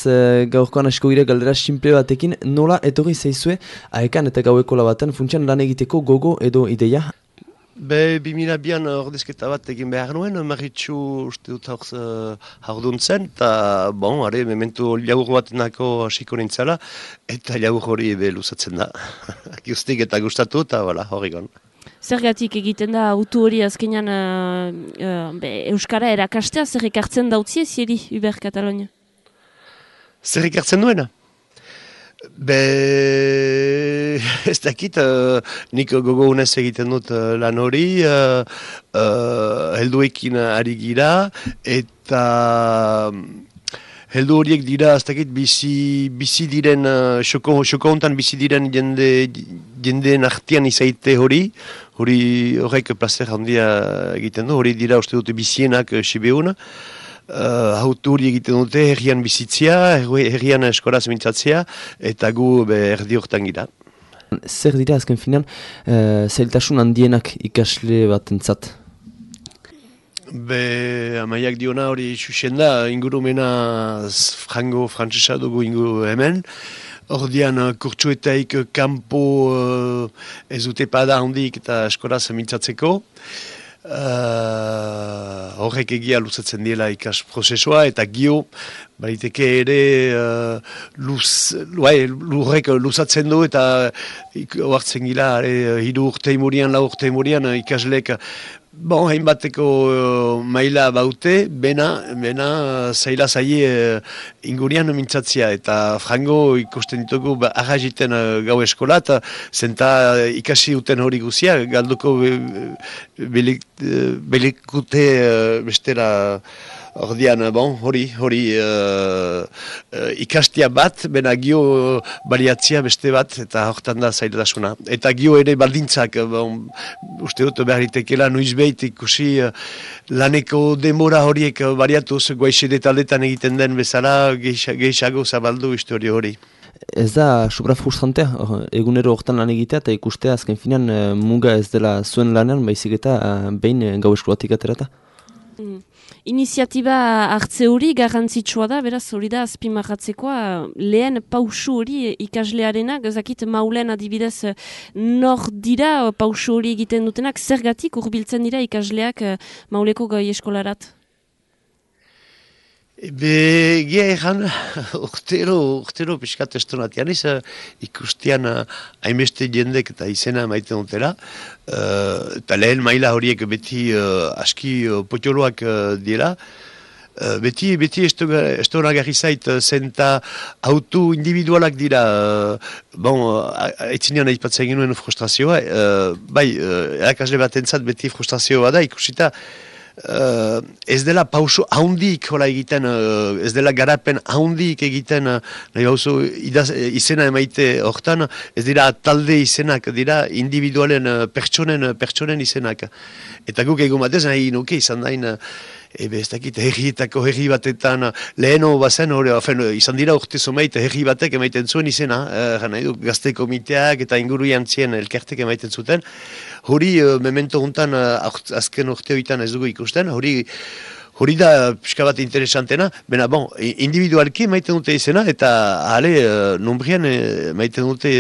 gaurkoan asko gire galdera simple batekin, nola etorri zaizue aekan eta gauekola baten funtsian lan egiteko gogo edo ideia? 2002an ordezketa bat egin behar nuen, Maritxu uste dut haurduntzen, eta memento jaur bat nako hasiko nintzala, eta jaur hori luzatzen da. Guztik eta gustatu, eta horregon. Zergatik egiten da autu hori azkenean Euskara erakastea, zer ekartzen dautzie zieri Uber Katalonia? Zer ekartzen duena? Ez dakit, nik gogo unez egiten dut lan hori, helduekin ari gira, eta heldu horiek dira, ez dakit, bizi diren, xoko hontan bizi diren jendeen artean izaite horrek placer handia egiten du, hori dira uste dute bizienak Sibeun, autu hori egiten dute herrian bizitzia, herrian eskoraz mintzatzea, eta gu erdi horretan gira. Zer dira azken finan, zailtasun handienak ikasle batentzat? Amaiak diona hori xuxen da, ingurumena frango frantzesa dugu inguru hemen. Ordian kurtsuetaik kanpo ez dute pada handik eta eskoraz mintzatzeko. Horrek egia luzatzen diela ikas prozesua eta gio bariteke ere lurrek luzatzen du eta oartzen gila 3 urte imurian, 4 urte imurian ikaslek hainbateko maila baute, bena zaila zaie ingurian mintzatzia eta frango ikusten ditugu arraziten gau eskolat, zenta ikasi duten hori guzia, galduko belikute bestera. Ordian, hori ikastia bat, bena gio baliatzia beste bat, eta horretan da zailasuna. Eta gio ere baldintzak, uste dut beharitekela noizbeit ikusi laneko demora horiek baliatuz, guaixede taldetan egiten den bezala, gehiago zabaldu historio hori. Ez da supra frustrantea, egunero horretan lan egitea eta ikustea azken finan muga ez dela zuen lanean, baizik eta behin gau eskolatik aterata? Iniziatiba hartze hori garrantzitsua da, beraz hori da azpimarratzekoa lehen pausu hori ikaslearenak, ezakit maulen adibidez nor dira pausu hori egiten dutenak, zergatik hurbiltzen dira ikasleak mauleko gai eskolarat? Gia egan, urtero piskat estonatian ikustian hainbeste jendek eta izena maiten dutela. Eta lehen maila horiek beti aski potoloak dira. Beti estonagarri zait zenta autu individualak dira. Aitzinean aipatzen genuen frustrazioa. Erakasle batentzat beti frustrazioa da ikusita. Ez dela pauso haundik hola egiten, ez dela garapen haundik egiten, nahi bauzu izena emaite hortan, ez dira talde izenak, dira individualen pertsonen izenak. Eta guk egun batez nahi nuke izan dain, ez dakit herrietako herri batetan, leheno bazen, izan dira urte zomeit herri batek emaiten zuen izena, gazte komiteak eta inguru jantzien elkertek emaiten zuten. Hori memento hontan azken urte horietan ez dugu ikusten, hori da pixka bat interesantena, bena individualki maiten dute izena, eta hale nombrian maiten dute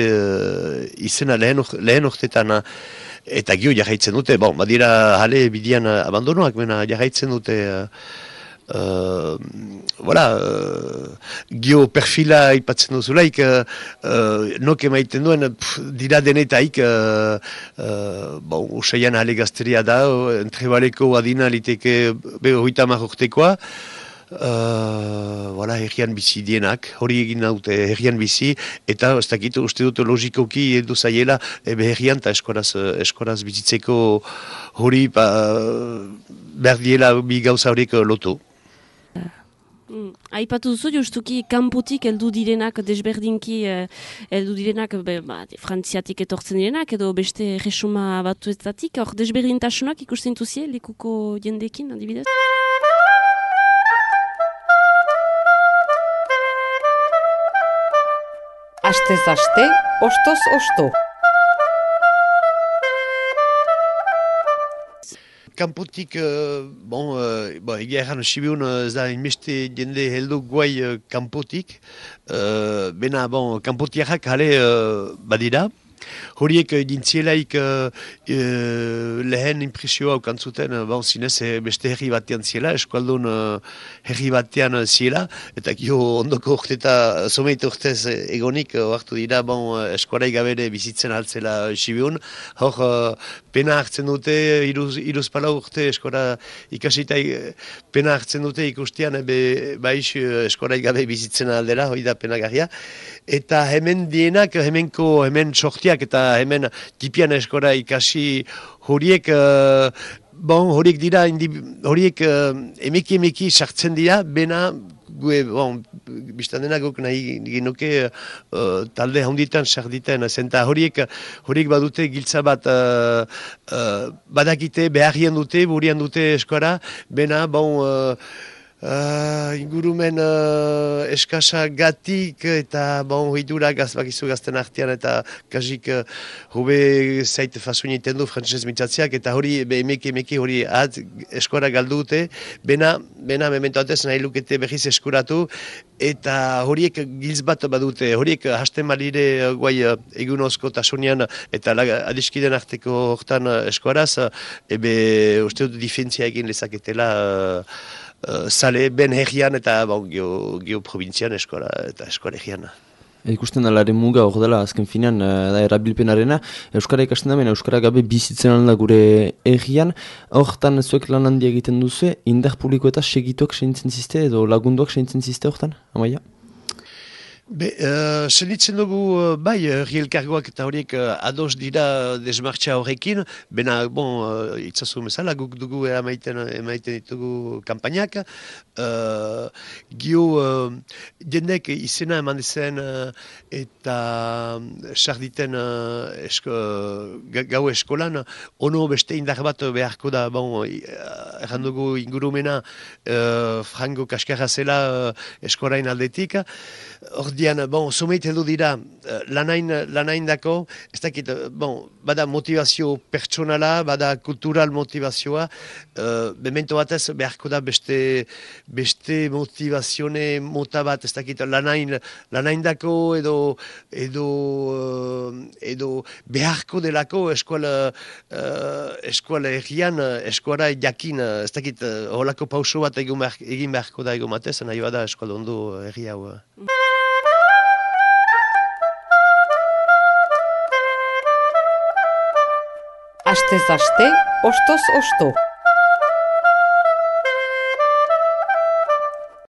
izena lehen urtetan, eta gio jarraitzen dute, badira hale bidian abandonoak, bena jarraitzen dute, gio perfila ipatzen duzulaik, nok emaiten duen, dira denetaik, usaian hale gazteria da, entrebaleko adina liteke 30 urtekoa, herrian bizi dienak, hori egin naute herrian bizi, eta ez dakit uste dut logikoki edu zaiela herrian eta eskoraz bizitzeko hori behar diela bi gauza horiek lotu. Aipatu duzu justuki kanpotik heldu direnak desberdinki heldu direnak frantziatik etortzen direnak edo beste resuma batuetatik, hor desberdintasunak ikusten duzie lekuko jendekin adibidez? Astez aste, ostoz osto. kanpotik, egia erran, Sibiun ez da inbeste jende heldu guai kanpotik, bena, kanpotiarrak hale badira. Horiek dintzielaik lehen impresioa ukantzuten, zinez beste herri batean ziela, eskualdun herri batean ziela, eta gio ondoko urteta, someit urtez egonik, oartu dira, eskuarai gabere bizitzen altzela Sibiun. Hor, pena hartzen dute, iruz pala urte eskuara ikasita pena hartzen dute ikustean, baiz eskuarai gabe bizitzen aldera, hori da penagarria. Eta hemen dienak, hemen sortiak eta hemen tipian eskora ikasi horiek horiek emeki sartzen dira, bena biztan dena guk nahi genuke talde handitan sarditen, zenta horiek badute giltza bat badakite, beharrian dute, burian dute eskora, bena ingurumen eskasa gatik eta hitura bakizu gazten artean eta kasik hobe zait fasun egiten du frantzez mintzatziak eta hori emeki hori eskora galdu dute, bena memento atez nahi lukete behiz eskuratu eta horiek giltz bat badute, horiek hasten balire guai egunozko tasunian eta adiskiden arteko hortan eskoraz, uste dut difentzia egin lezaketela sale ben herrian eta geoprovintzian eskola eta eskola herrian. Ikusten alaren muga hor dela azken finean da erabilpenarena. Euskara ikasten da, Euskara gabe bizitzen alda gure herrian. Hortan zuek lan handia egiten duzu, indar publiko eta segituak segintzen ziste edo lagunduak segintzen ziste hortan, Amaia? Senitzen dugu, rielkargoak eta horiek ados dira desmartxa horrekin, bena, itzazu mesala, guk dugu emaiten ditugu kampainak. Jendek izena eman dizen eta sarditen gau eskolan, ono beste indar bat beharko da, erran dugu ingurumena frango kaskarra zela eskorain aldetik. Ordian, someit heldu dira lanain dako, ez dakit, bada motivazio pertsonala, bada kultural motivazioa, memento batez beharko da beste motivazione mota bat, ez dakit, lanain dako edo beharko delako eskuala errian, eskuala jakin, ez dakit, holako pauso bat egin beharko da egon batez, nahi bada eskuala ondo herri hau. Astez aste, ostoz osto.